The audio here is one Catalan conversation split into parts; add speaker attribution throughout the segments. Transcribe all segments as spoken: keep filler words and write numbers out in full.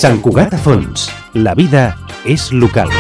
Speaker 1: Sant Cugat a Fons. La vida és local.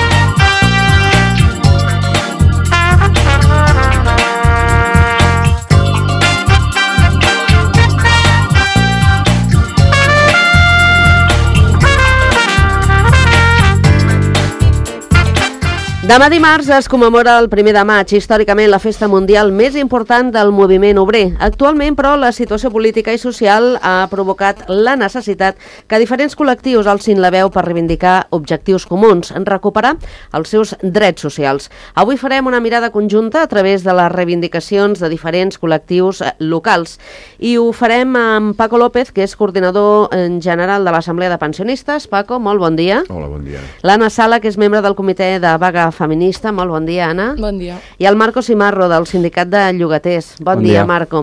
Speaker 2: Demà dimarts es commemora el primer de maig, històricament la festa mundial més important del moviment obrer. Actualment, però, la situació política i social ha provocat la necessitat que diferents col·lectius alcin la veu per reivindicar objectius comuns, en recuperar els seus drets socials. Avui farem una mirada conjunta a través de les reivindicacions de diferents col·lectius locals. I ho farem amb Paco López, que és coordinador general de l'Assemblea de Pensionistes. Paco, molt bon dia.
Speaker 3: Hola, bon dia.
Speaker 2: L'Anna Sala, que és membre del comitè de vaga feminista. Molt bon dia, Anna.
Speaker 4: Bon dia.
Speaker 2: I el Marco Simarro, del sindicat de llogaters. Bon, bon dia, dia, Marco.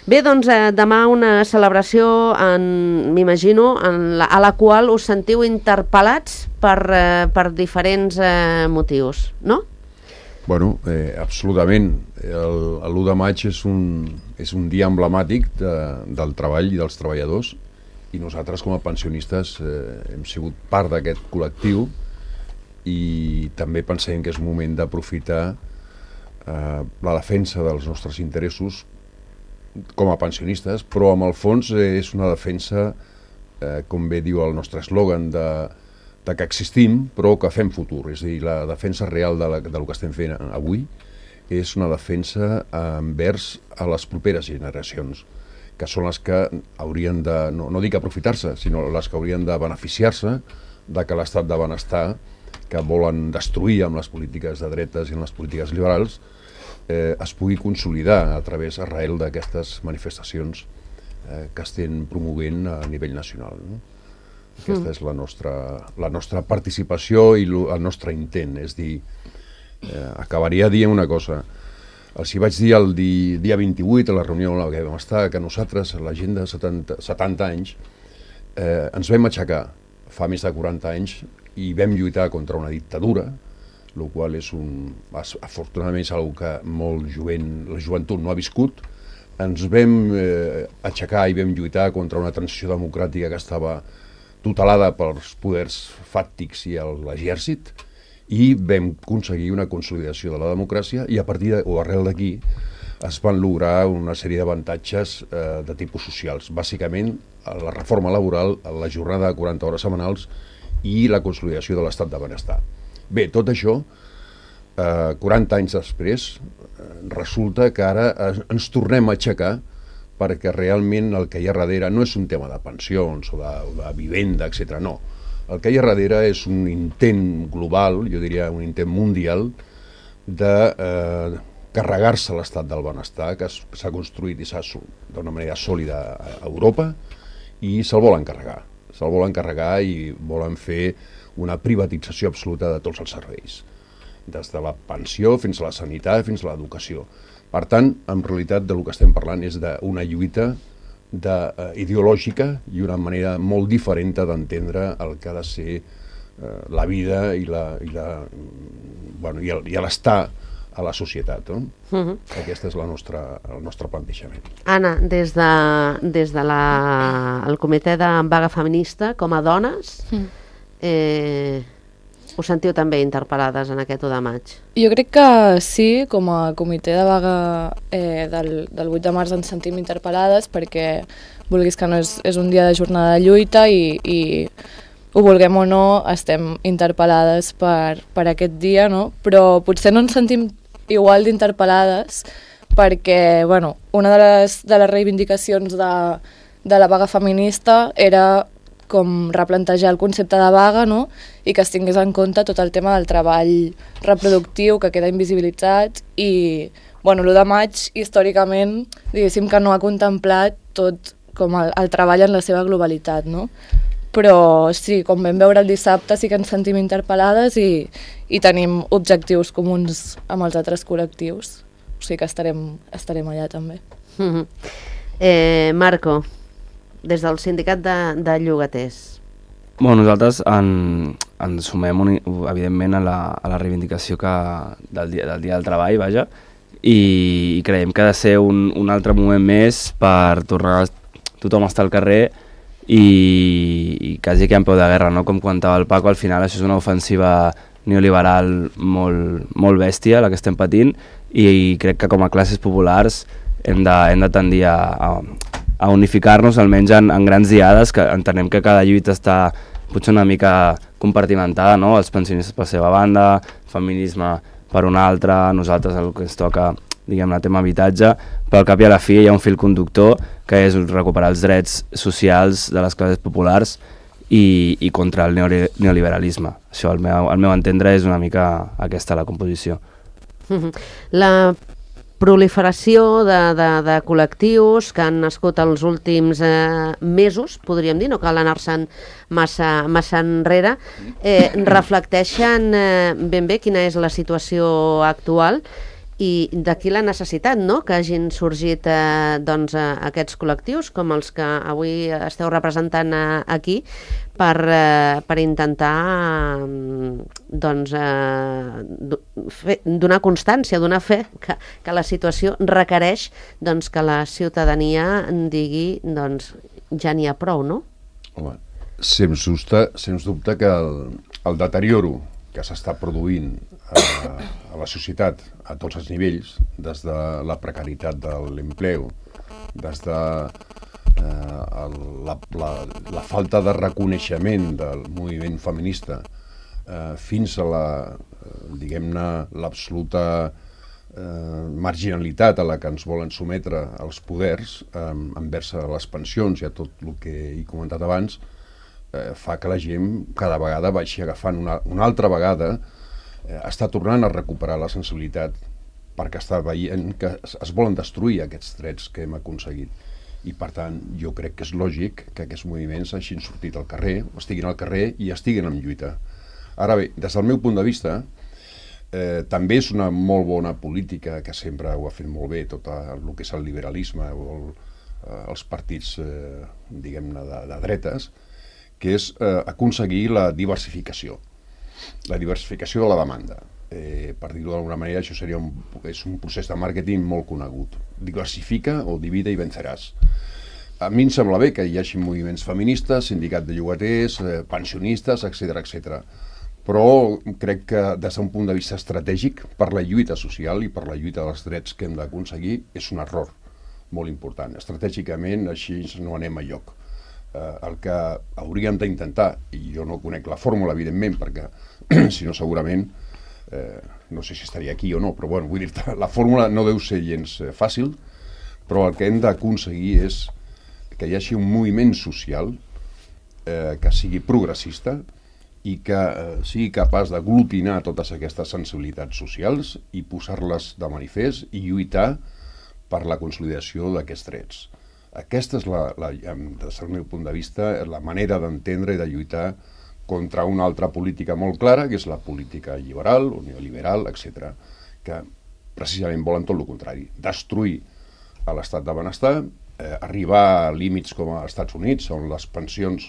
Speaker 2: Bé, doncs, eh, demà una celebració, m'imagino, a la qual us sentiu interpel·lats per, eh, per diferents eh, motius, no?
Speaker 3: Bueno, eh, absolutament. L'u de maig és un, és un dia emblemàtic de, del treball i dels treballadors, i nosaltres, com a pensionistes, eh, hem sigut part d'aquest col·lectiu, i també pensem que és un moment d'aprofitar eh, la defensa dels nostres interessos com a pensionistes, però amb el fons eh, és una defensa, eh, com bé diu el nostre eslògan, de, de que existim però que fem futur. És a dir, la defensa real de, la, de lo que estem fent avui és una defensa envers a les properes generacions, que són les que haurien de, no, no dic aprofitar-se, sinó les que haurien de beneficiar-se de que l'estat de benestar que volen destruir amb les polítiques de dretes i amb les polítiques liberals, eh, es pugui consolidar a través arrel d'aquestes manifestacions eh, que estem promovent a nivell nacional. No? Aquesta mm. és la nostra, la nostra participació i el nostre intent. És dir, eh, acabaria dient una cosa. Els hi vaig dir el di, dia vint-i-vuit, a la reunió en la que vam estar, que nosaltres, la gent de setanta, setanta anys, eh, ens vam aixecar fa més de quaranta anys i vam lluitar contra una dictadura, el qual és un, afortunadament és una que molt jovent, la joventut no ha viscut. Ens vam eh, aixecar i vam lluitar contra una transició democràtica que estava tutelada pels poders fàctics i l'exèrcit, i vam aconseguir una consolidació de la democràcia, i a partir de, o arrel d'aquí es van lograr una sèrie d'avantatges eh, de tipus socials, bàsicament la reforma laboral, la jornada de quaranta hores setmanals i la consolidació de l'estat de benestar. Bé, tot això, eh, quaranta anys després, eh, resulta que ara eh, ens tornem a aixecar, perquè realment el que hi ha darrere no és un tema de pensions o de, de vivenda, etcètera. No. El que hi ha darrere és un intent global, jo diria un intent mundial, de eh, carregar-se l'estat del benestar, que s'ha construït i s'ha d'una manera sòlida a Europa, i se'l volen carregar. Se'l volen carregar i volen fer una privatització absoluta de tots els serveis, des de la pensió fins a la sanitat, fins a l'educació. Per tant, en realitat, del que estem parlant és d'una lluita de, eh, ideològica i una manera molt diferent d'entendre el que ha de ser eh, la vida i la, i la, bueno, i el, i l'estar a la societat. No? Uh-huh. Aquest és la nostra, el nostre plantejament.
Speaker 2: Anna, des de, des de la, el comitè de vaga feminista, com a dones, mm. eh, us sentiu també interpel·lades en aquest u de maig?
Speaker 4: Jo crec que sí, com a comitè de vaga eh, del, del vuit de març ens sentim interpel·lades, perquè, vulguis que no, és, és un dia de jornada de lluita i, i ho vulguem o no, estem interpel·lades per, per aquest dia, no? Però potser no ens sentim igual d'interpel·lades perquè, bueno, una de les, de les reivindicacions de, de la vaga feminista era com replantejar el concepte de vaga, no? I que es tingués en compte tot el tema del treball reproductiu que queda invisibilitzat i, bueno, l'u de maig, històricament, diguéssim que no ha contemplat tot com el, el treball en la seva globalitat, no? Però sí, com vam veure el dissabte, sí que ens sentim interpel·lades i, i tenim objectius comuns amb els altres col·lectius. O sigui que estarem, estarem allà també.
Speaker 2: Mm-hmm. eh, Marco, des del sindicat de, de llogaters.
Speaker 5: Bueno, nosaltres en, ens sumem, un, evidentment, a la, a la reivindicació que, del, dia, del dia del treball, vaja, i, i creiem que ha de ser un, un altre moment més per tornar tothom a estar al carrer i, i quasi que en peu de guerra, no? Com comentava el Paco, al final això és una ofensiva neoliberal molt, molt bèstia, la que estem patint, i, i crec que com a classes populars hem de, hem de tendir a, a, a unificar-nos almenys en, en grans diades, que entenem que cada lluita està potser una mica compartimentada, no? Els pensionistes per la seva banda, feminisme per una altra, nosaltres el que ens toca, diguem-ne, tema habitatge, però al cap i a la fi hi ha un fil conductor que és recuperar els drets socials de les classes populars i, i contra el neoliberalisme. Això, al meu, al meu entendre, és una mica aquesta la composició.
Speaker 2: La proliferació de, de, de col·lectius que han nascut els últims eh, mesos, podríem dir, no cal anar-se'n massa, massa enrere, eh, reflecteixen eh, ben bé quina és la situació actual i d'aquí la necessitat, no?, que hagin sorgit eh, doncs, eh, aquests col·lectius com els que avui esteu representant eh, aquí per, eh, per intentar eh, doncs, eh, fer, donar constància, donar fe que, que la situació requereix doncs, que la ciutadania digui doncs, ja n'hi ha prou, no?
Speaker 3: Home, sens dubte, sens dubte que el, el deterioro que s'està produint a, a la societat a tots els nivells, des de la precarietat de l'empleo, des de eh, el, la, la, la falta de reconeixement del moviment feminista eh, fins a la, eh, diguem-ne, l'absoluta eh, marginalitat a la que ens volen sometre els poders eh, envers a les pensions i a tot el que he comentat abans, eh, fa que la gent cada vegada vagi agafant una, una altra vegada, eh, està tornant a recuperar la sensibilitat perquè està veient que es, es volen destruir aquests drets que hem aconseguit. I per tant, jo crec que és lògic que aquests moviments hagin sortit al carrer, estiguin al carrer i estiguin en lluita. Ara bé, des del meu punt de vista, eh, també és una molt bona política que sempre ho ha fet molt bé tot el que és el liberalisme o el, eh, els partits, eh, diguem-ne, de, de dretes, que és eh, aconseguir la diversificació, la diversificació de la demanda. Eh, per dir-ho d'alguna manera, això seria un, és un procés de màrqueting molt conegut. Diversifica o divide i venceràs. A mi em sembla bé que hi hagi moviments feministes, sindicat de llogaters, eh, pensionistes, etcètera, etcètera. Però crec que des d'un punt de vista estratègic, per la lluita social i per la lluita dels drets que hem d'aconseguir, és un error molt important. Estratègicament així no anem a lloc. Eh, el que hauríem d'intentar, i jo no conec la fórmula, evidentment, perquè si no segurament Eh, no sé si estaria aquí o no, però bueno, vull dir-te, la fórmula no deu ser gens eh, fàcil, però el que hem d'aconseguir és que hi hagi un moviment social eh, que sigui progressista i que eh, sigui capaç d'aglutinar totes aquestes sensibilitats socials i posar-les de manifest i lluitar per la consolidació d'aquests drets. Aquesta és, la, la, des del meu punt de vista, la manera d'entendre i de lluitar contra una altra política molt clara, que és la política liberal o neoliberal, etcètera, que precisament volen tot el contrari, destruir l'estat de benestar, eh, arribar a límits com als Estats Units, on les pensions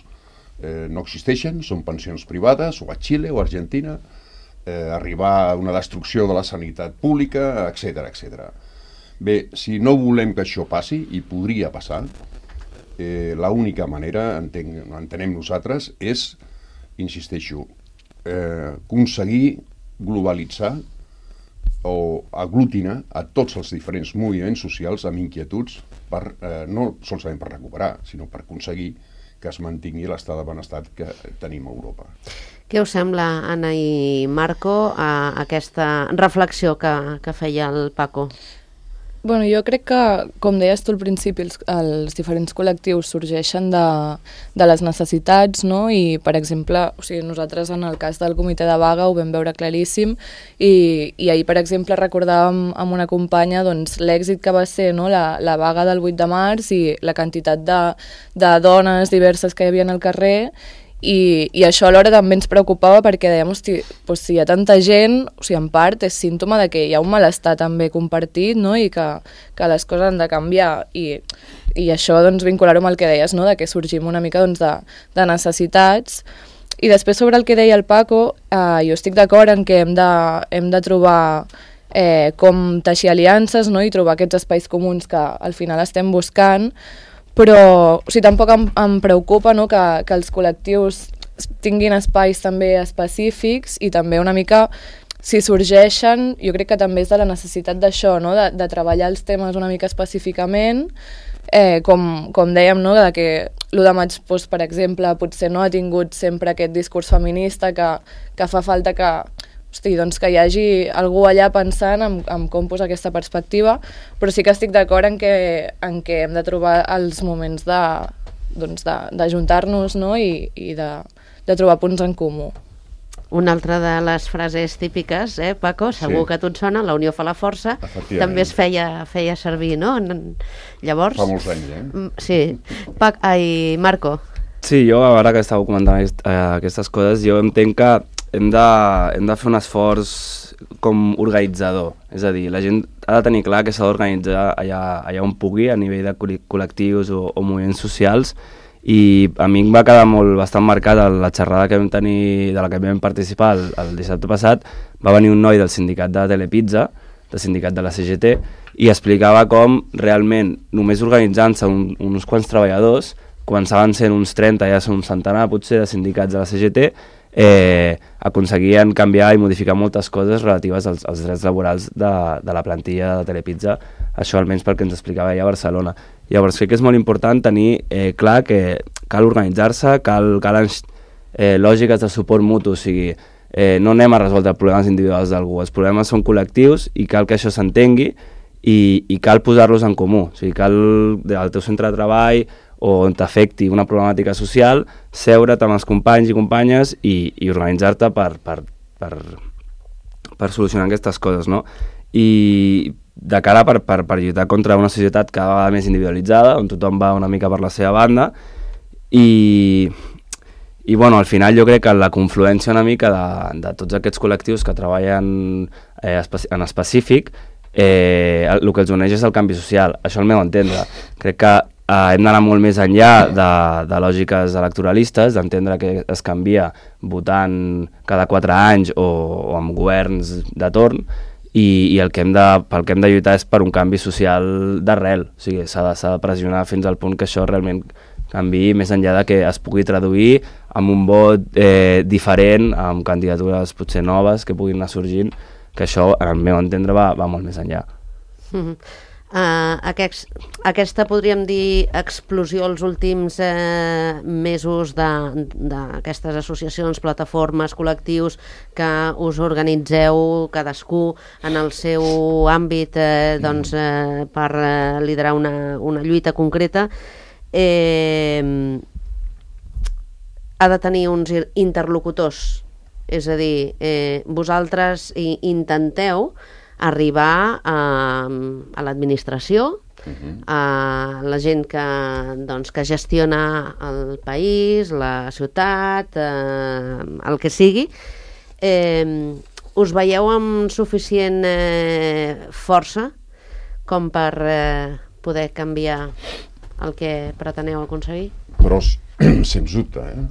Speaker 3: eh, no existeixen, són pensions privades, o a Xile o a Argentina, eh, arribar a una destrucció de la sanitat pública, etcètera, etcètera. Bé, si no volem que això passi, i podria passar, eh, l'única manera, entenc, entenem nosaltres, és insisteixo, eh, aconseguir globalitzar o aglutinar a tots els diferents moviments socials amb inquietuds per, eh, no solament per recuperar, sinó per aconseguir que es mantingui l'estat de benestar que tenim a Europa.
Speaker 2: Què us sembla, Anna i Marco, a aquesta reflexió que, que feia el Paco?
Speaker 4: Bueno, jo crec que, com deies tu al principi, els, els diferents col·lectius sorgeixen de, de les necessitats, no? I, per exemple, o sigui, nosaltres en el cas del comitè de vaga ho vam veure claríssim i, i ahir, per exemple, recordàvem amb una companya doncs, l'èxit que va ser, no? la, la vaga del vuit de març i la quantitat de, de dones diverses que hi havia al carrer. I, i això alhora també ens preocupava perquè dèiem, hosti, doncs si hi ha tanta gent, o sigui, en part és símptoma de que hi ha un malestar també compartit, no? I que, que les coses han de canviar i, i això doncs, vincular-ho amb el que deies, no? De que sorgim una mica doncs, de, de necessitats. I després sobre el que deia el Paco, eh, jo estic d'acord en que hem de, hem de trobar eh, com teixir aliances, no? I trobar aquests espais comuns que al final estem buscant, però o sigui, tampoc em, em preocupa, no, que, que els col·lectius tinguin espais també específics i també una mica, si sorgeixen, jo crec que també és de la necessitat d'això, no? de, de treballar els temes una mica específicament, eh, com, com dèiem, no? de que l'u de maig, doncs, per exemple, potser no ha tingut sempre aquest discurs feminista que, que fa falta que, hosti, doncs que hi hagi algú allà pensant en, en com posar aquesta perspectiva, però sí que estic d'acord en, que, en que hem de trobar els moments de, doncs de, d'ajuntar-nos, no? I, i de, de trobar punts en comú.
Speaker 2: Una altra de les frases típiques, eh, Paco, segur sí. que a tu et sona, la unió fa la força, també es feia, feia servir, no? Llavors...
Speaker 3: Fa molts anys, eh?
Speaker 2: Sí. Pac, ai, Marco.
Speaker 5: Sí, jo, a veure que estàveu comentant aquest, eh, aquestes coses, jo entenc que hem de, hem de fer un esforç com organitzador, és a dir, la gent ha de tenir clar que s'ha d'organitzar allà, allà on pugui, a nivell de col·lectius o, o moviments socials, i a mi em va quedar molt bastant marcat la xerrada que vam tenir, de la que vam participar el, el dissabte passat. Va venir un noi del sindicat de Telepizza, del sindicat de la C G T, i explicava com realment només organitzant-se un, uns quants treballadors, començaven sent uns trenta, ja són un centenar potser de sindicats de la C G T, eh, aconseguien canviar i modificar moltes coses relatives als, als drets laborals de, de la plantilla de Telepizza, això almenys pel que ens explicava ella a Barcelona. Llavors crec que és molt important tenir eh, clar que cal organitzar-se, cal, cal eh, lògiques de suport mutu, o sigui, eh, no anem a resoldre problemes individuals d'algú, els problemes són col·lectius i cal que això s'entengui i, i cal posar-los en comú, o sigui, cal al teu centre de treball o on t'afecti una problemàtica social, seure't amb els companys i companyes i, i organitzar-te per, per, per, per solucionar aquestes coses, no? I de cara per, per, per lluitar contra una societat cada vegada més individualitzada, on tothom va una mica per la seva banda, i, i bueno, al final jo crec que la confluència una mica de, de tots aquests col·lectius que treballen eh, en específic, eh, el, el que els uneix és el canvi social, això al meu entendre. Crec que eh, hem d'anar molt més enllà de, de lògiques electoralistes, d'entendre que es canvia votant cada quatre anys o, o amb governs de torn, i, i el que hem de, pel que hem de lluitar és per un canvi social d'arrel, o sigui, s'ha de, s'ha de pressionar fins al punt que això realment canviï més enllà de que es pugui traduir amb un vot eh, diferent, amb candidatures potser noves que puguin anar sorgint, que això, al meu entendre, va, va molt més enllà.
Speaker 2: Mm-hmm. Uh, aquest, aquesta, podríem dir, explosió els últims eh, mesos d'aquestes associacions, plataformes, col·lectius que us organitzeu cadascú en el seu àmbit eh, doncs, eh, per eh, liderar una, una lluita concreta, eh, ha de tenir uns interlocutors, és a dir, eh, vosaltres intenteu arribar a, a l'administració, uh-huh. a la gent que, doncs, que gestiona el país, la ciutat, eh, el que sigui. Eh, us veieu amb suficient eh, força com per eh, poder canviar el que preteneu aconseguir?
Speaker 3: Però, sens dubte, eh?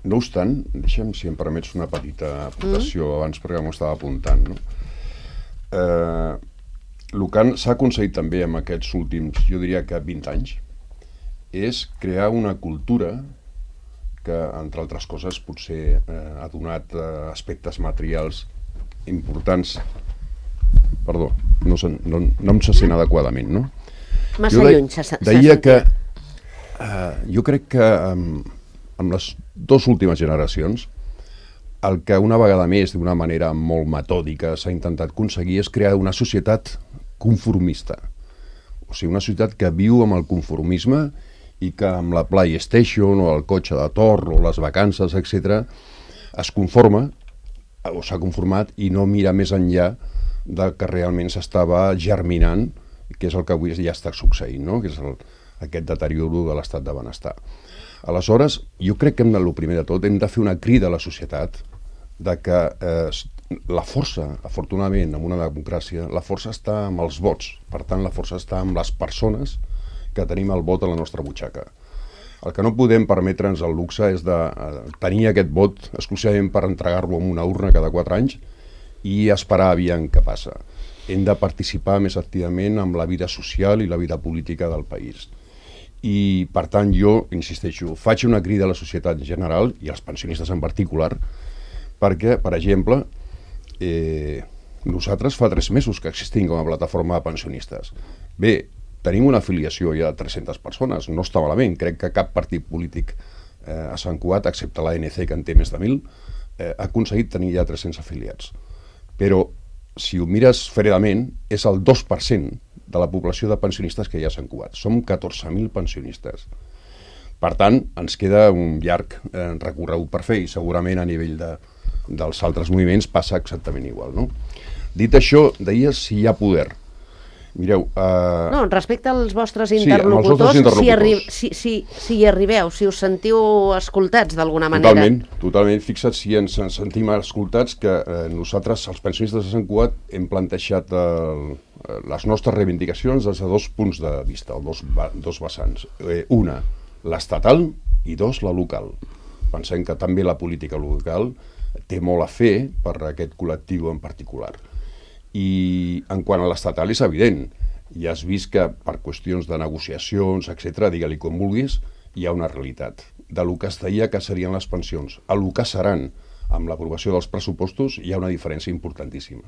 Speaker 3: No obstant, deixa'm, si em permets, una petita aportació mm. abans, perquè m'ho estava apuntant, no? Eh, el que s'ha aconseguit també en aquests últims, jo diria que vint anys, és crear una cultura que, entre altres coses, potser eh, ha donat eh, aspectes materials importants. Perdó, no, se, no, no em se sent adequadament, no?
Speaker 2: Massa
Speaker 3: jo de,
Speaker 2: lluny se sent.
Speaker 3: Deia que eh, jo crec que amb, amb les dues últimes generacions el que una vegada més, d'una manera molt metòdica, s'ha intentat aconseguir és crear una societat conformista. O sigui, una societat que viu amb el conformisme i que amb la PlayStation o el cotxe de torn o les vacances, etcètera, es conforma o s'ha conformat i no mira més enllà del que realment s'estava germinant, que és el que avui ja està succeint, no? Que és el, aquest deterioro de l'estat de benestar. Aleshores, jo crec que hem de, el primer de tot, hem de fer una crida a la societat de que eh, la força, afortunadament, en una democràcia, la força està amb els vots. Per tant, la força està amb les persones que tenim el vot a la nostra butxaca. El que no podem permetre'ns el luxe és de eh, tenir aquest vot exclusivament per entregar-lo en una urna cada quatre anys i esperar aviam què passa. Hem de participar més activament amb la vida social i la vida política del país. I, per tant, jo, insisteixo, faig una crida a la societat en general i als pensionistes en particular, perquè, per exemple, eh, nosaltres fa tres mesos que existim com a plataforma de pensionistes. Bé, tenim una afiliació ja de tres-centes persones, no està malament, crec que cap partit polític eh, a Sant Cugat, excepte l'A N C, que en té més de mil, eh, ha aconseguit tenir ja tres-cents afiliats. Però, si ho mires fredament, és el dos per cent de la població de pensionistes que hi ha a Sant Cugat. Som catorze mil pensionistes. Per tant, ens queda un llarg eh, recorregut per fer i segurament a nivell de, dels altres moviments passa exactament igual, no? Dit això, deies si hi ha poder. Mireu... Uh...
Speaker 2: No, respecte als vostres
Speaker 3: sí,
Speaker 2: interlocutors,
Speaker 3: interlocutors.
Speaker 2: Si, arri si, si, si hi arribeu, si us sentiu escoltats d'alguna manera.
Speaker 3: Totalment, totalment. Fixa't si ens, ens sentim escoltats que eh, nosaltres, els pensionistes de Sant Cugat, hem plantejat el, les nostres reivindicacions des de dos punts de vista, o dos, dos vessants. Eh, una, l'estatal, i dos, la local. Pensem que també la política local té molt a fer per aquest col·lectiu en particular. I en quant a l'estatal és evident, ja has vist que per qüestions de negociacions, etcètera, digue-li com vulguis, hi ha una realitat. De lo que es deia que serien les pensions a lo que seran amb l'aprovació dels pressupostos hi ha una diferència importantíssima.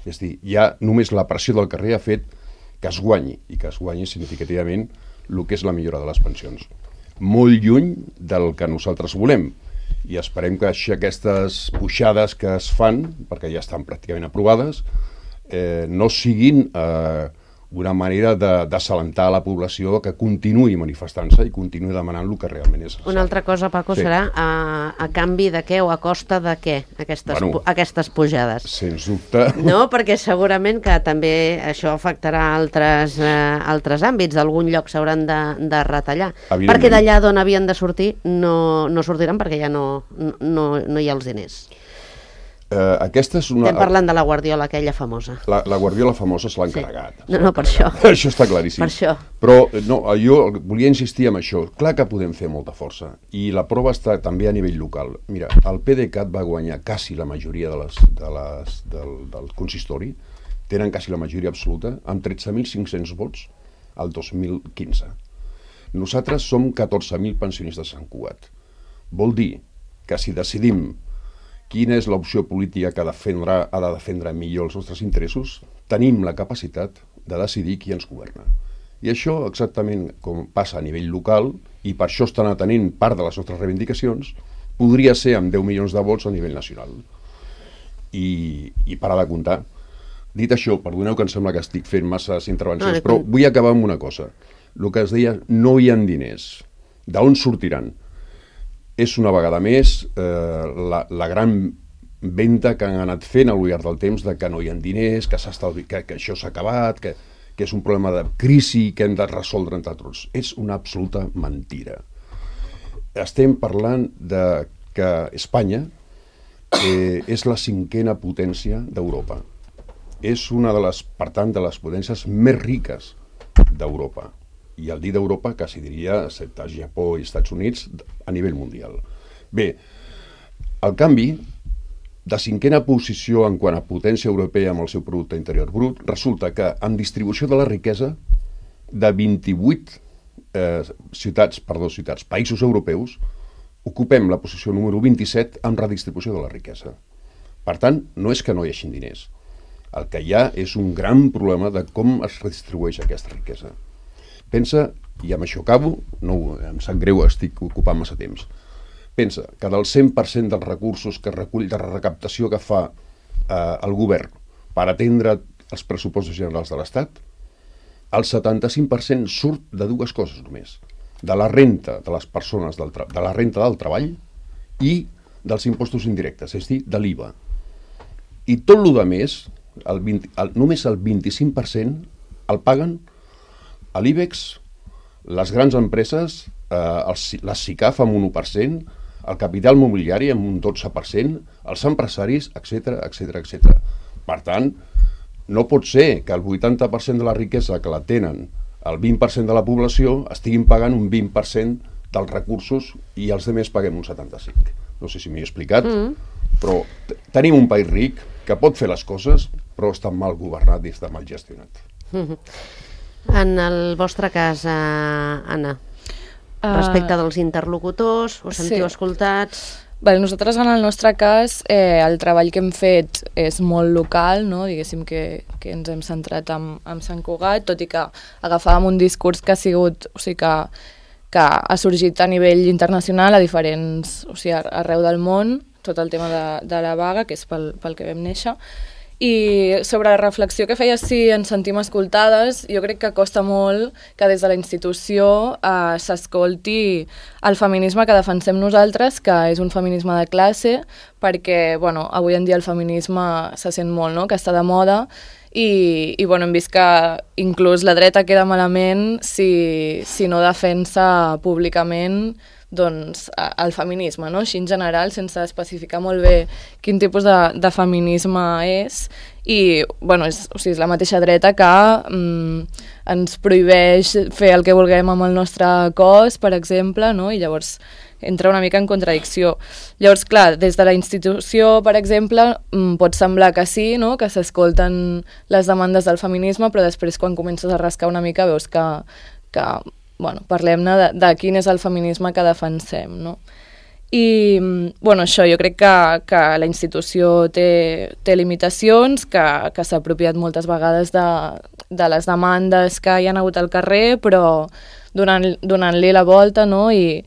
Speaker 3: És a dir, ja només la pressió del carrer ha fet que es guanyi, i que es guanyi significativament el que és la millora de les pensions. Molt lluny del que nosaltres volem, i esperem que aquestes pujades que es fan, perquè ja estan pràcticament aprovades, Eh, no siguin eh, una manera de desalentar la població que continuï manifestant-se i continuï demanant el que realment és.
Speaker 2: Una altra cosa, Paco, sí. serà a, a canvi de què o a costa de què aquestes, bueno, aquestes pujades?
Speaker 3: Sens dubte.
Speaker 2: No, perquè segurament que també això afectarà altres, eh, altres àmbits, d'algun lloc s'hauran de, de retallar. Perquè d'allà d'on havien de sortir no, no sortiran perquè ja no, no, no hi ha els diners.
Speaker 3: Uh, aquesta és una...
Speaker 2: Estem parlant de la Guardiola, aquella famosa.
Speaker 3: La, la Guardiola famosa se l'ha encarregat.
Speaker 2: Sí. No, no, per això.
Speaker 3: Això està claríssim.
Speaker 2: Per això.
Speaker 3: Però no, jo volia insistir en això. Clar que podem fer molta força. I la prova està també a nivell local. Mira, el PDeCAT va guanyar quasi la majoria de les, de les, del, del consistori. Tenen quasi la majoria absoluta, amb tretze mil cinc-cents vots al dos mil quinze. Nosaltres som catorze mil pensionistes a Sant Cugat. Vol dir que si decidim quina és l'opció política que defendrà, ha de defendre millor els nostres interessos, tenim la capacitat de decidir qui ens governa. I això, exactament com passa a nivell local, i per això estan atenent part de les nostres reivindicacions, podria ser amb deu milions de vots a nivell nacional. I, i parar de comptar. Dit això, perdoneu que em sembla que estic fent masses intervencions, però vull acabar amb una cosa. El que es deia, no hi ha diners. D'on sortiran? És una vegada més eh, la, la gran venda que han anat fent al llarg del temps de que no hi ha diners, que, que, que això s'ha acabat, que, que és un problema de crisi que hem de resoldre entre tots. És una absoluta mentira. Estem parlant de que Espanya eh, és la cinquena potència d'Europa. És una de les, per tant, de les potències més riques d'Europa. I al dir d'Europa quasi diria, excepte Japó i Estats Units, a nivell mundial. Bé, al canvi, de cinquena posició en quant a potència europea amb el seu producte interior brut, resulta que en distribució de la riquesa de vint-i-vuit eh, ciutats, perdó, ciutats, països europeus, ocupem la posició número vint-i-set amb redistribució de la riquesa. Per tant, no és que no hi hagi diners. El que hi ha és un gran problema de com es redistribueix aquesta riquesa. Pensa, i amb això acabo, no, em sap greu, estic ocupant massa temps, pensa que del cent per cent dels recursos que recull de recaptació que fa eh, el govern per atendre els pressupostos generals de l'Estat, el setanta-cinc per cent surt de dues coses només, de la renta de les persones, del de la renta del treball i dels impostos indirectes, és a dir, de l'I V A. I tot el que més, el vint, el, només el vint-i-cinc per cent el paguen a l'I B E X, les grans empreses, eh, els, les SICAF amb un u per cent, el capital mobiliari amb un dotze per cent, els empresaris, etcètera, etcètera, etcètera. Per tant, no pot ser que el vuitanta per cent de la riquesa que la tenen el vint per cent de la població estiguin pagant un vint per cent dels recursos i els altres paguem un setanta-cinc per cent. No sé si m'he explicat, mm. però tenim un país ric que pot fer les coses, però està mal governat i està mal gestionat.
Speaker 2: Mm-hmm. En el vostre cas, eh, Anna, respecte dels interlocutors? Us sentiu
Speaker 4: sí.
Speaker 2: escoltats?
Speaker 4: Bé, nosaltres, en el nostre cas, eh, el treball que hem fet és molt local, no? Diguéssim que, que ens hem centrat en, en Sant Cugat, tot i que agafàvem un discurs que ha sigut, o sigui, que, que ha sorgit a nivell internacional a diferents, o sigui, arreu del món, tot el tema de, de la vaga, que és pel, pel que vam néixer. I sobre la reflexió que feies, si ens sentim escoltades, jo crec que costa molt que des de la institució eh, s'escolti el feminisme que defensem nosaltres, que és un feminisme de classe, perquè bueno, avui en dia el feminisme se sent molt, no?, que està de moda, i, i bueno, hem vist que inclús la dreta queda malament si, si no defensa públicament doncs, el feminisme, no? Així en general, sense especificar molt bé quin tipus de, de feminisme és, i bueno, és, o sigui, és la mateixa dreta que mm, ens prohibeix fer el que vulguem amb el nostre cos, per exemple, no? I llavors entra una mica en contradicció. Llavors, clar, des de la institució, per exemple, mm, pot semblar que sí, no?, que s'escolten les demandes del feminisme, però després quan comences a rascar una mica veus que, que bueno, parlem-ne de, de quin és el feminisme que defensem, no? I, bueno, això, jo crec que, que la institució té, té limitacions, que, que s'ha apropiat moltes vegades de, de les demandes que hi ha hagut al carrer, però donant, donant-li la volta, no?, i,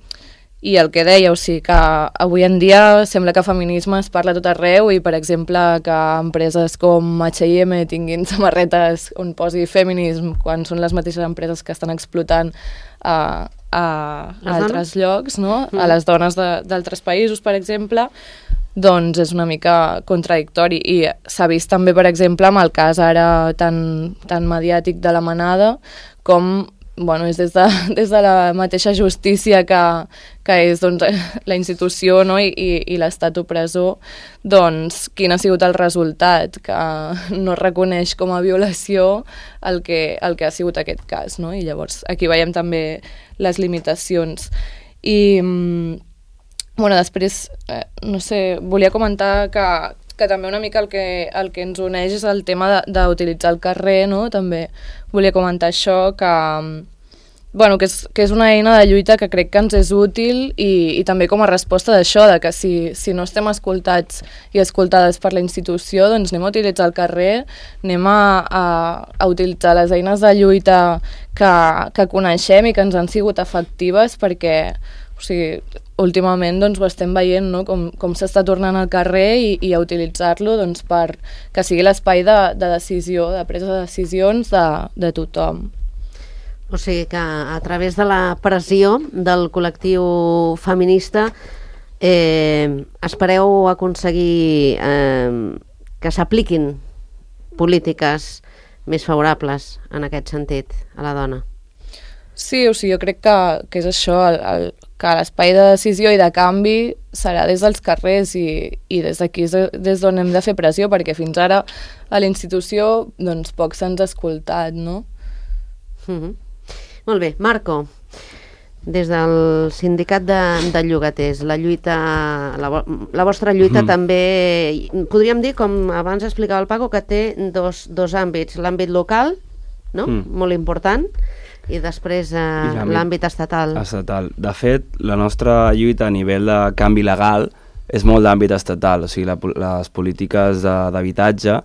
Speaker 4: i el que deia, o sigui, que avui en dia sembla que feminisme es parla a tot arreu, i, per exemple, que empreses com H i M tinguin samarretes on posi feminisme, quan són les mateixes empreses que estan explotant a, a, a altres llocs, no? Mm. A les dones d'altres països, per exemple, doncs és una mica contradictori. I s'ha vist també, per exemple, amb el cas ara tan, tan mediàtic de la Manada, com bueno, és des de, des de la mateixa justícia que, que és doncs, la institució, no?, i, i, i l'estat opressor, doncs quin ha sigut el resultat, que no reconeix com a violació el que, el que ha sigut aquest cas, no? I llavors aquí veiem també les limitacions. I bueno, després, eh, no sé, volia comentar que que també una mica el que, el que ens uneix és el tema d'utilitzar el carrer, no? També volia comentar això, que, bueno, que, és, que és una eina de lluita que crec que ens és útil, i, i també com a resposta d'això, de que si, si no estem escoltats i escoltades per la institució, doncs anem a utilitzar el carrer, anem a, a, a utilitzar les eines de lluita que, que coneixem i que ens han sigut efectives, perquè, o sigui, últimament doncs, ho estem veient, no?, com, com s'està tornant al carrer, i, i a utilitzar-lo doncs, per que sigui l'espai de, de decisió, de presa de decisions de, de tothom.
Speaker 2: O sigui que a través de la pressió del col·lectiu feminista eh, espereu aconseguir eh, que s'apliquin polítiques més favorables en aquest sentit a la dona.
Speaker 4: Sí, o sigui, jo crec que, que és això, el, el, que l'espai de decisió i de canvi serà des dels carrers, i, i des d'aquí és des d'on hem de fer pressió, perquè fins ara a la institució doncs, poc se'ns ha escoltat, no?
Speaker 2: Mm-hmm. Molt bé, Marco, des del sindicat de, de llogaters, la lluita, la, la vostra lluita mm. també, podríem dir, com abans explicava el Paco, que té dos, dos àmbits, l'àmbit local, no? Mm. Molt important, i després eh, l'àmbit estatal.
Speaker 5: Estatal. De fet, la nostra lluita a nivell de canvi legal és molt d'àmbit estatal, o sigui, la, les polítiques d'habitatge,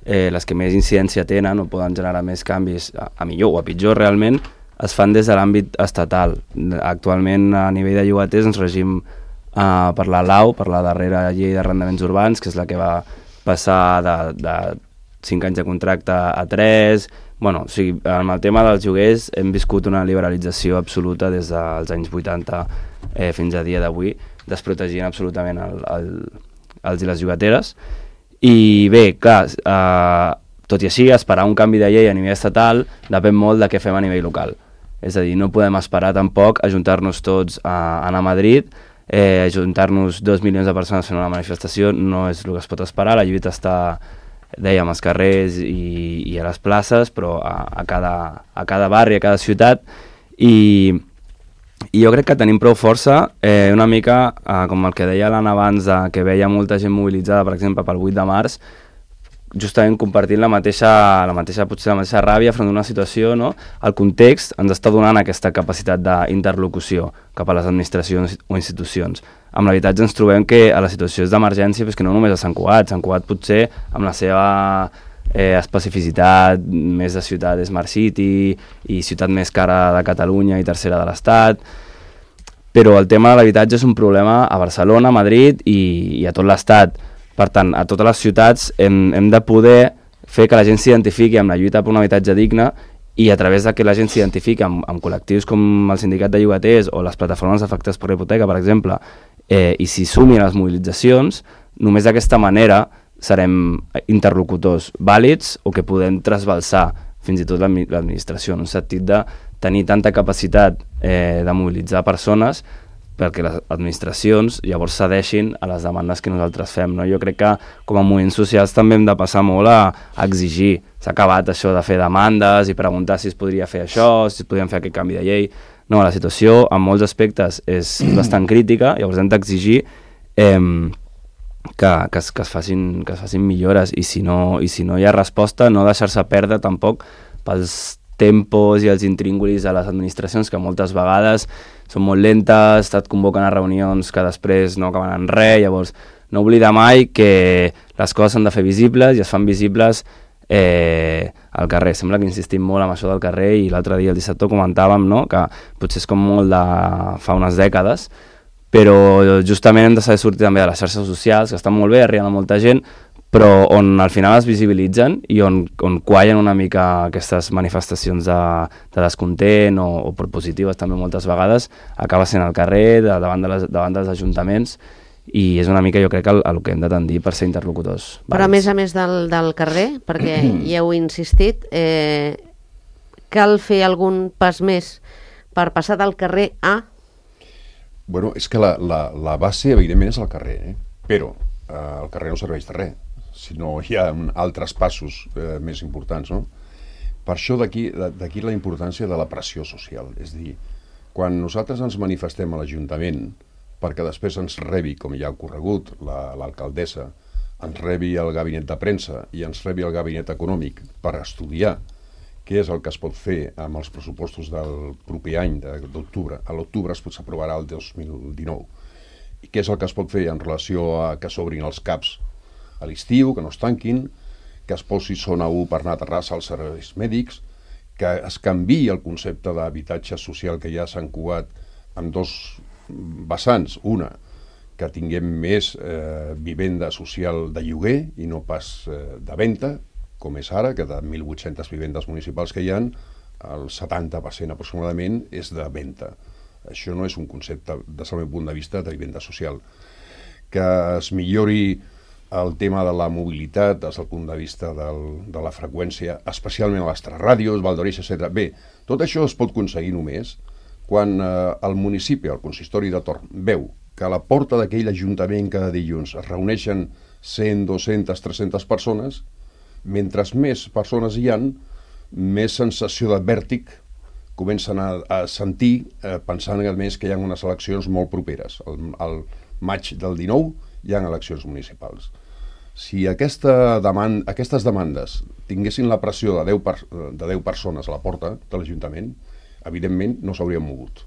Speaker 5: eh, les que més incidència tenen o poden generar més canvis a, a millor o a pitjor realment, es fan des de l'àmbit estatal. Actualment, a nivell de llogaters, ens regim eh, per la L A U, per la darrera llei d'arrendaments urbans, que és la que va passar de, de cinc anys de contracte a tres. Bueno, o sigui, amb el tema dels lloguers hem viscut una liberalització absoluta des dels anys vuitanta eh, fins a dia d'avui, desprotegint absolutament el, el, els i les llogateres. I bé, clar, eh, tot i així, esperar un canvi de llei a nivell estatal depèn molt de què fem a nivell local. És a dir, no podem esperar tampoc a ajuntar-nos tots a anar a Madrid, eh, ajuntar-nos dos milions de persones fent una manifestació, no és el que es pot esperar. La lluita està, dèiem, als carrers i, i a les places, però a, a, cada, a cada barri, a cada ciutat, i, i jo crec que tenim prou força, eh, una mica, eh, com el que deia l'Anna abans, de, que veia molta gent mobilitzada, per exemple, pel vuit de març, justament compartint la mateixa, la mateixa, potser la mateixa ràbia front d'una situació, no? El context ens està donant aquesta capacitat d'interlocució cap a les administracions o institucions. Amb l'habitatge ens trobem que a les situacions d'emergència, pues que no només a Sant Cugat, Sant Cugat potser amb la seva eh, especificitat més de ciutat Smart City i ciutat més cara de Catalunya i tercera de l'Estat, però el tema de l'habitatge és un problema a Barcelona, a Madrid i, i a tot l'Estat. Per tant, a totes les ciutats hem, hem de poder fer que la gent s'identifiqui amb la lluita per un habitatge digne i a través de que la gent s'identifiqui amb, amb col·lectius com el sindicat de llogaters o les plataformes afectades per la hipoteca, per exemple, eh, i s'hi sumin a les mobilitzacions, només d'aquesta manera serem interlocutors vàlids o que podem trasbalsar fins i tot l'administració, en un sentit de tenir tanta capacitat eh, de mobilitzar persones perquè les administracions llavors cedeixin a les demandes que nosaltres fem. No? Jo crec que com a moviments socials també hem de passar molt a, a exigir. S'ha acabat això de fer demandes i preguntar si es podria fer això, si es podrien fer aquest canvi de llei. No, la situació en molts aspectes és bastant crítica, llavors hem d'exigir eh, que, que, es, que, es facin, que es facin millores i si, no, i si no hi ha resposta, no deixar-se perdre tampoc pels tempos i els intríngulis a les administracions que moltes vegades són molt lentes, et convoquen a reunions que després no acaben en res, llavors no oblidar mai que les coses s'han de fer visibles i es fan visibles eh, al carrer. Sembla que insistim molt en això del carrer i l'altre dia el dissabte comentàvem, no?, que potser és com molt de fa unes dècades, però justament hem de saber sortir també de les xarxes socials, que estan molt bé, arriben a molta gent, però on al final es visibilitzen i on, on quallen una mica aquestes manifestacions de, de descontent o, o propositives també moltes vegades, acaba sent al carrer, de, davant, de les, davant dels ajuntaments, i és una mica jo crec el, el que hem de tendir per ser interlocutors.
Speaker 2: Però a més a més del, del carrer, perquè hi heu insistit, eh, cal fer algun pas més per passar del carrer a...
Speaker 3: Bueno, és que la, la, la base evidentment és el carrer, eh? Però eh, el carrer no serveix de res, sinó hi ha altres passos eh, més importants, no? Per això d'aquí d'aquí la importància de la pressió social. És a dir, quan nosaltres ens manifestem a l'Ajuntament perquè després ens rebi, com ja ha ocorregut, l'alcaldessa, ens rebi el gabinet de premsa i ens rebi el gabinet econòmic per estudiar què és el que es pot fer amb els pressupostos del proper any, d'octubre. A l'octubre es pot s'aprovarà el dos mil dinou. I què és el que es pot fer en relació a que s'obrin els CAPs a l'estiu, que no es tanquin, que es posi zona u per anar a Terrassa als serveis mèdics, que es canviï el concepte d'habitatge social que ja s'han cugat en dos vessants. Una, que tinguem més eh, vivenda social de lloguer i no pas eh, de venda, com és ara, que de mil vuit-centes vivendes municipals que hi ha, el setanta per cent aproximadament és de venda. Això no és un concepte, des del meu punt de vista, de vivenda social. Que es millori el tema de la mobilitat des del punt de vista del, de la freqüència, especialment a les tres ràdios, Valldoreix, etcètera. Bé, tot això es pot aconseguir només quan eh, el municipi, el consistori de Torn, veu que a la porta d'aquell ajuntament cada dilluns es reuneixen cent, dues-centes, tres-centes persones, mentre més persones hi han, més sensació de vèrtic comencen a, a sentir, eh, pensant a més que hi ha unes eleccions molt properes. El, el maig del dinou hi ha eleccions municipals. Si aquesta demanda, aquestes demandes tinguessin la pressió de deu, per, de deu persones a la porta de l'Ajuntament, evidentment no s'haurien mogut.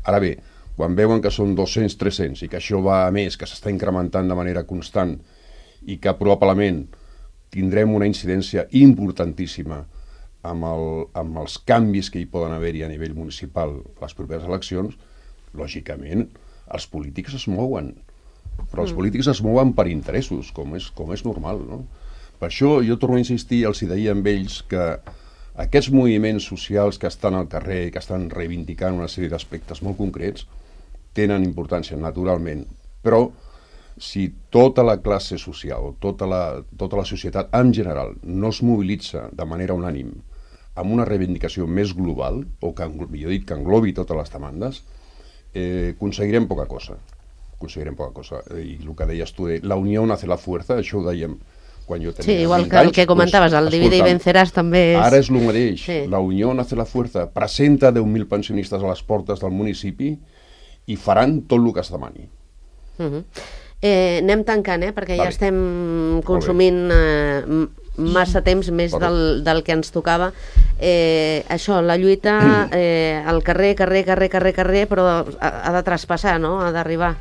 Speaker 3: Ara bé, quan veuen que són dos-cents, tres-cents i que això va a més, que s'està incrementant de manera constant i que probablement tindrem una incidència importantíssima amb, el, amb els canvis que hi poden haver-hi a nivell municipal les properes eleccions, lògicament els polítics es mouen. Però els polítics es mouen per interessos, com és, com és normal, no? Per això jo torno a insistir, els hi deia amb ells, que aquests moviments socials que estan al carrer, que estan reivindicant una sèrie d'aspectes molt concrets, tenen importància, naturalment, però si tota la classe social, tota la, tota la societat en general, no es mobilitza de manera unànim amb una reivindicació més global, o que, millor dit, que englobi totes les demandes, eh, aconseguirem poca cosa. aconseguirem poca cosa. I el que deies tu, de la unió hace la fuerza, això ho dèiem quan jo tenia
Speaker 2: sí, igual
Speaker 3: vint
Speaker 2: que el
Speaker 3: anys,
Speaker 2: que comentaves, el divide i venceràs també és...
Speaker 3: Ara és el mateix,
Speaker 2: sí.
Speaker 3: La unió hace la fuerza, presenta deu mil pensionistes a les portes del municipi i faran tot el que es demani.
Speaker 2: Uh -huh. eh, anem tancant, eh? Perquè vale. Ja estem consumint eh, massa temps més del, del que ens tocava. Eh, això, la lluita eh, al carrer, carrer, carrer, carrer, carrer, però ha, ha de traspassar, no? Ha d'arribar.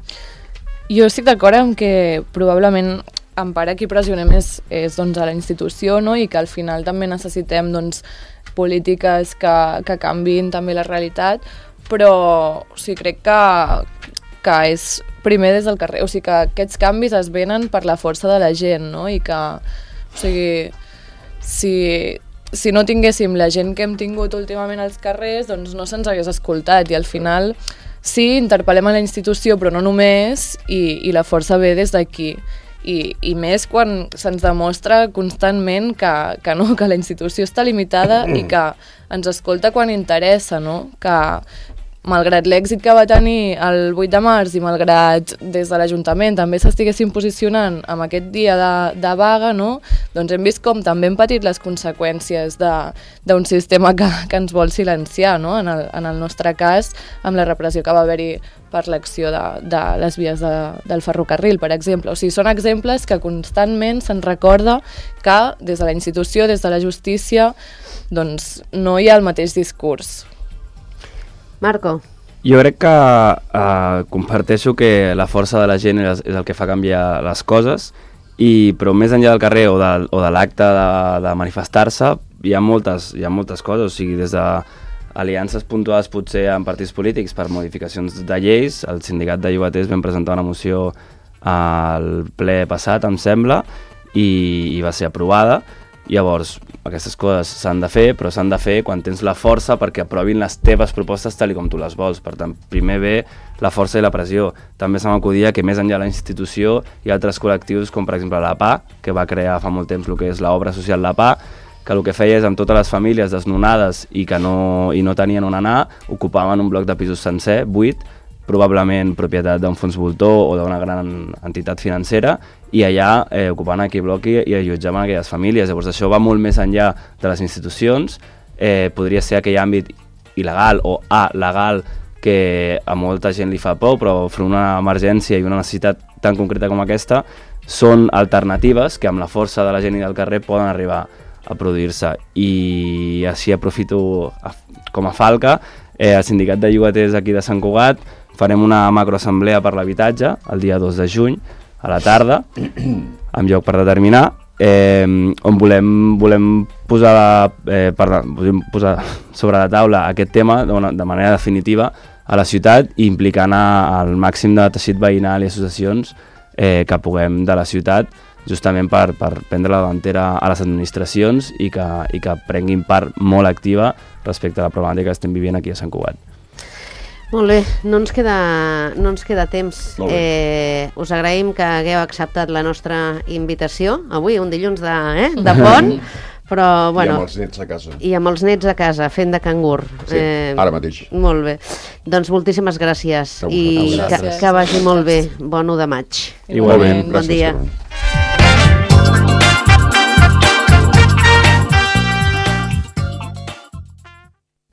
Speaker 4: Jo estic d'acord amb que probablement en part qui pressionem és, és doncs, a la institució, no? I que al final també necessitem doncs, polítiques que, que canviïn també la realitat, però o sigui, crec que, que és primer des del carrer, o sigui que aquests canvis es venen per la força de la gent, no? I que, o sigui, si, si no tinguéssim la gent que hem tingut últimament als carrers, doncs no se'ns hagués escoltat i al final sí, interpel·lem a la institució, però no només, i, i la força ve des d'aquí. I, i més quan se'ns demostra constantment que, que no, que la institució està limitada i que ens escolta quan interessa, no? Que malgrat l'èxit que va tenir el vuit de març i malgrat des de l'Ajuntament també s'estiguessin posicionant amb aquest dia de, de vaga, no? Doncs hem vist com també hem patit les conseqüències d'un sistema que, que ens vol silenciar, no? En el, en el nostre cas, amb la repressió que va haver-hi per l'acció de, de les vies de, del ferrocarril, per exemple. O sigui, són exemples que constantment se'n recorda que des de la institució, des de la justícia, doncs no hi ha el mateix discurs.
Speaker 2: Marco.
Speaker 5: Jo crec que eh, comparteixo que la força de la gent és, és el que fa canviar les coses, i, però més enllà del carrer o de, o de l'acte de, de manifestar-se hi ha moltes, hi ha moltes coses, o sigui, des de aliances puntuals potser en partits polítics per modificacions de lleis. El sindicat de llogaters vam presentar una moció al ple passat, em sembla, i, i va ser aprovada. Llavors, aquestes coses s'han de fer, però s'han de fer quan tens la força perquè aprovin les teves propostes tal com tu les vols. Per tant, primer ve la força i la pressió. També se m'acudia que més enllà de la institució hi ha altres col·lectius, com per exemple la P A, que va crear fa molt temps el que és l'obra social La P A, que el que feia és amb totes les famílies desnonades i que no, i no tenien on anar, ocupaven un bloc de pisos sencer, buit, probablement propietat d'un fons voltor o d'una gran entitat financera, i allà eh, ocupant aquell bloc i, i allotjaven aquelles famílies. Llavors això va molt més enllà de les institucions, eh, podria ser aquell àmbit il·legal o alegal que a molta gent li fa por, però enfront una emergència i una necessitat tan concreta com aquesta són alternatives que amb la força de la gent i del carrer poden arribar a produir-se. I així aprofito a, com a falca, eh, el sindicat de llogaters aquí de Sant Cugat farem una macroassemblea per l'habitatge el dia dos de juny a la tarda, amb lloc per determinar, eh, on volem, volem, posar la, eh, per, volem posar sobre la taula aquest tema de, una, de manera definitiva a la ciutat i implicant al màxim de teixit veïnal i associacions eh, que puguem de la ciutat, justament per, per prendre la davantera a les administracions i que, i que prenguin part molt activa respecte a la problemàtica que estem vivint aquí a Sant Cugat.
Speaker 2: Molt bé, no ens queda, no ens queda temps. Eh, us agraïm que hagueu acceptat la nostra invitació, avui, un dilluns de, eh, de pont, però, bueno,
Speaker 3: I amb els nets a casa.
Speaker 2: I amb els nets a casa, fent de cangur.
Speaker 3: Sí, eh, ara mateix.
Speaker 2: Molt bé. Doncs moltíssimes gràcies
Speaker 3: Segur.
Speaker 2: i
Speaker 4: gràcies.
Speaker 2: que, que vagi molt bé. Bon u de maig.
Speaker 5: Igualment.
Speaker 2: Bon dia.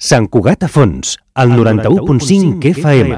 Speaker 1: Sant Cugat a Fons, al noranta-u punt cinc F M.